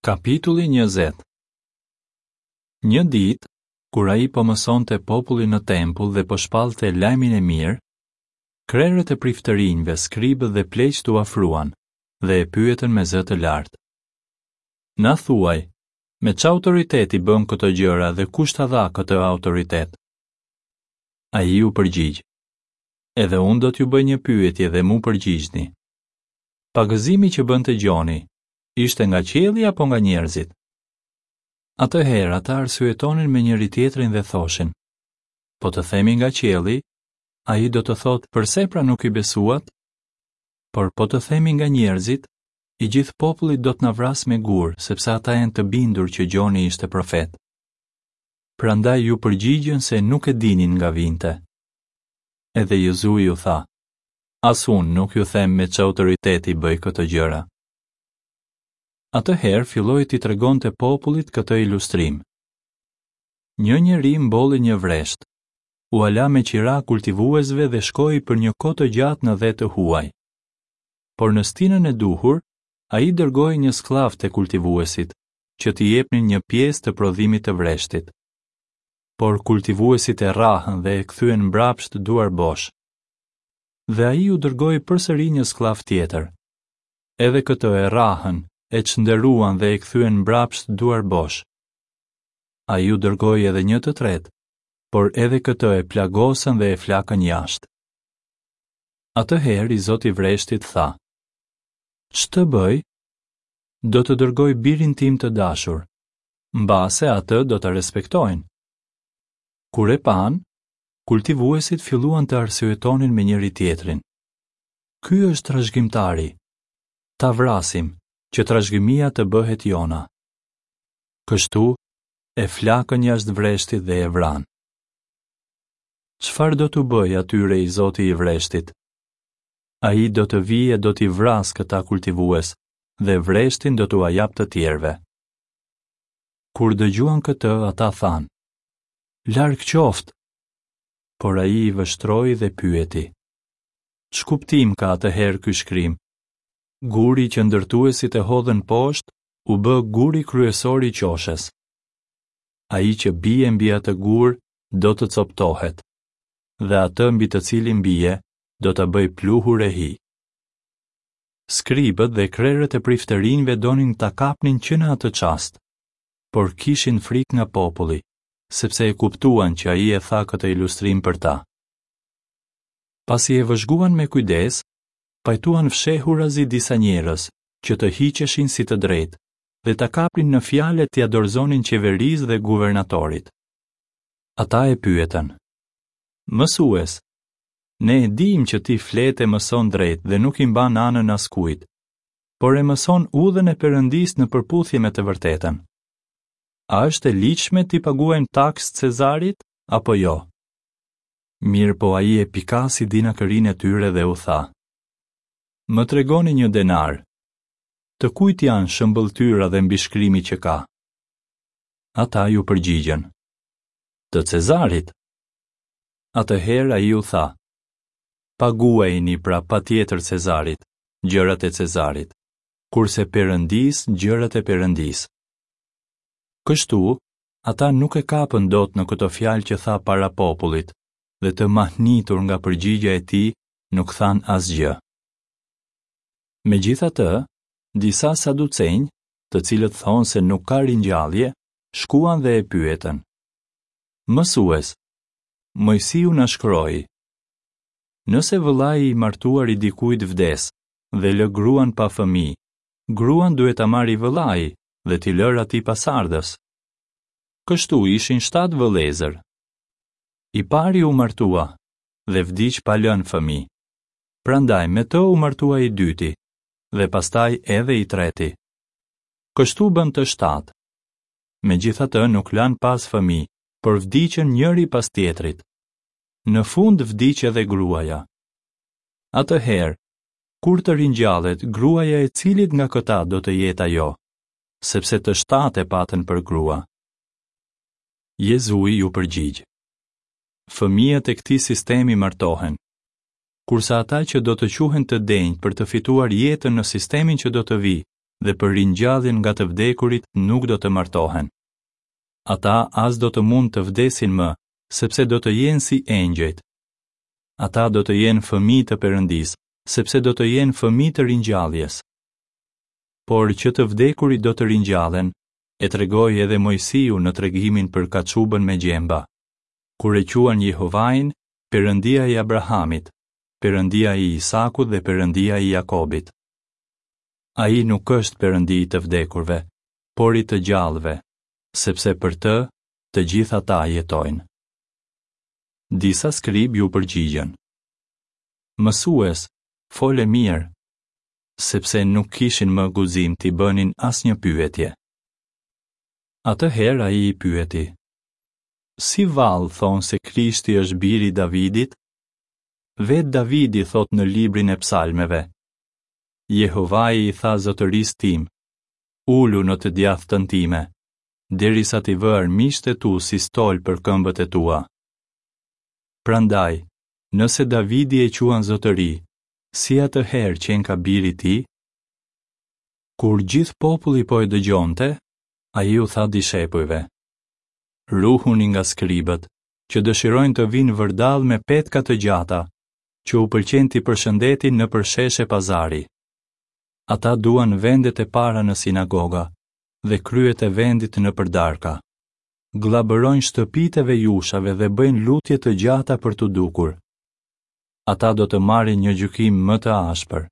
Kapitulli 20 Një ditë, kur ai po mësonte popullin në tempull dhe po shpallte lajmin e mirë, krerët e priftërinjve, skribët dhe pleqtë u afruan dhe e pyetën me zë të lartë. Na thuaj, me ç'autoritet i bën këto gjëra dhe kush ta dha këtë autoritet? Ai u përgjigj. Edhe unë do t'ju bëj një pyetje dhe m'u përgjigjni. Pagëzimi që bënte Gjoni, ishte nga qielli apo nga njerëzit? Atëherë ata arsyetonin me njëri-tjetrin dhe thoshin: Po të themi nga qielli, ai do të thotë përse pra nuk i besuat? Por po të themi nga njerëzit, i gjithë populli do të na vrasë me gurë, sepse ata janë të bindur që Gjoni ishte profet. Prandaj iu përgjigjën se nuk e dinin nga vinte. Edhe Jezui u tha: As unë nuk ju them me ç'autoritet i bëj këto gjëra. Atëherë filloi t'i tregonte popullit këtë ilustrim. Një njeri mbolli një vresht, ua la me qira kultivuesve dhe shkoi për një kohë të gjatë në dhe të huaj. Por në stinën e duhur, ai dërgoi një skllav te kultivuesit, që t'i jepnin një pjesë të prodhimit të vreshtit. Por kultivuesit e rrahën dhe e kthyen mbrapsht duarbosh. Dhe ai u dërgoi përsëri një skllav tjetër. Edhe këtë e rrahën, e çnderuan dhe e kthyen mbrapsht duarbosh. Ai u dërgoi edhe një të tretë, por edhe këtë e plagosën dhe e flakën jashtë. Atëherë i zoti i vreshtit tha: Ç'të bëj? Do të dërgoj birin tim të dashur. Mbase atë do ta respektojnë. Kur e panë, kultivuesit filluan të arsyetonin me njëri-tjetrin. Ky është trashëgimtari. Ta vrasim, që trashëgimia të bëhet jona. Kështu, e flakën jashtë vreshtit dhe e vranë. Çfarë do t'u bëjë atyre i zoti i vreshtit? Ai do të vijë e do t'i vrasë këta kultivues dhe vreshtin do t'ua japë të tjerëve. Kur dëgjuan këtë, ata thanë: Larg qoftë! Por ai i vështroi dhe pyeti: Ç'kuptim ka atëherë ky shkrim? Guri që ndërtuesit e hodhën poshtë u bë guri kryesor i qoshes. Ai që bie mbi atë gur do të copëtohet, dhe atë mbi të cilin bie do ta bëjë pluhur e hi. Skribët dhe krerët e priftërinjve donin ta kapnin që në atë çast, por kishin frikë nga populli, sepse e kuptuan që ai e tha këtë ilustrim për ta. Pasi e vëzhguan me kujdes, pajtuan fshehurazi disa njerëz që të hiqeshin si të drejtë dhe ta kapnin në fjalë e t'ia dorëzonin qeverisë dhe guvernatorit. Ata e pyetën: Mësues, ne e dimë që ti flet e mëson drejt dhe nuk i mban anën askujt, por e mëson udhën e Perëndisë në përputhje me të vërtetën. A është e ligjshme t'i paguajmë taksë Cezarit apo jo? Mirëpo ai e pikasi dinakërinë e tyre dhe u tha: Më tregoni një denar. Të kujt janë shëmbëlltyra dhe mbishkrimi që ka? Ata iu përgjigjën: Të Cezarit. Atëherë ai u tha: Paguajini pra patjetër Cezarit, gjërat e Cezarit, kurse Perëndisë gjërat e Perëndisë. Kështu, Ata nuk e kapën dot në këto fjalë që tha para popullit dhe të mahnitur nga përgjigja e tij nuk thanë asgjë. Megjithatë, disa saducenj, të cilët thonë se nuk ka ringjallje, shkuan dhe e pyetën. Mësues, Moisiu na shkroi: Nëse vëllai i martuar i dikujt vdes dhe lë gruan pa fëmijë, gruan duhet ta marrë i vëllai dhe t'i lërë atij pasardhës. Kështu ishin shtatë vëllezër. I pari u martua dhe vdiq pa lënë fëmijë. Prandaj me të u martua i dyti dhe pastaj edhe i treti. Kështu bënë të shtatë. Megjithatë nuk lanë pas fëmijë, por vdiqën njëri pas tjetrit. Në fund vdiq edhe gruaja. Atëherë, kur të ringjallet, gruaja e cilit nga këta do të jetë ajo? Sepse të shtatë e patën për grua. Jezui iu përgjigj. Fëmijët e këtij sistemi martohen, kurse ata që do të quhen të denjë për të fituar jetën në sistemin që do të vijë, dhe për ringjalljen nga të vdekurit nuk do të martohen. Ata as do të mund të vdesin më, sepse do të jenë si engjëjt. Ata do të jenë fëmijë të Perëndisë, sepse do të jenë fëmijë të ringjalljes. Por që të vdekurit do të ringjallen, e tregoi edhe Moisiu në tregimin për kaçubën me gjemba, kur e quan Jehovain Perëndia i Abrahamit, Perëndia i Isakut dhe Perëndia i Jakobit. Ai nuk është Perëndi i të vdekurve, por i të gjallëve, sepse për të, të gjithë ata jetojnë. Disa skribë iu përgjigjën. Mësues, fole mirë, sepse nuk kishin më guxim t'i bënin asnjë pyetje. Atëherë ai i pyeti: Si vallë thonë se Krishti është biri i Davidit? Vetë Davidi thotë në librin e Psalmeve: Jehovai i tha zotërisë tim, ulu në të djathtën time, derisa t'i vë armiqtë e tu si stol për këmbët e tua. Prandaj, nëse Davidi e quan zotëri, si atëherë qenka bir i tij? Kur gjithë populli po e dëgjonte, ai u tha dishepujve: Ruhuni nga skribët, që dëshirojnë të vijnë vërdallë me petka të gjata, që u pëlqen t'i përshëndetin nëpër sheshe pazari. Ata duan vendet e para në sinagoga dhe kryet e vendit nëpër darka. Gllabërojnë shtëpitë e vejushave dhe bëjnë lutje të gjata për t'u dukur. Ata do të marrin një gjykim më të ashpër.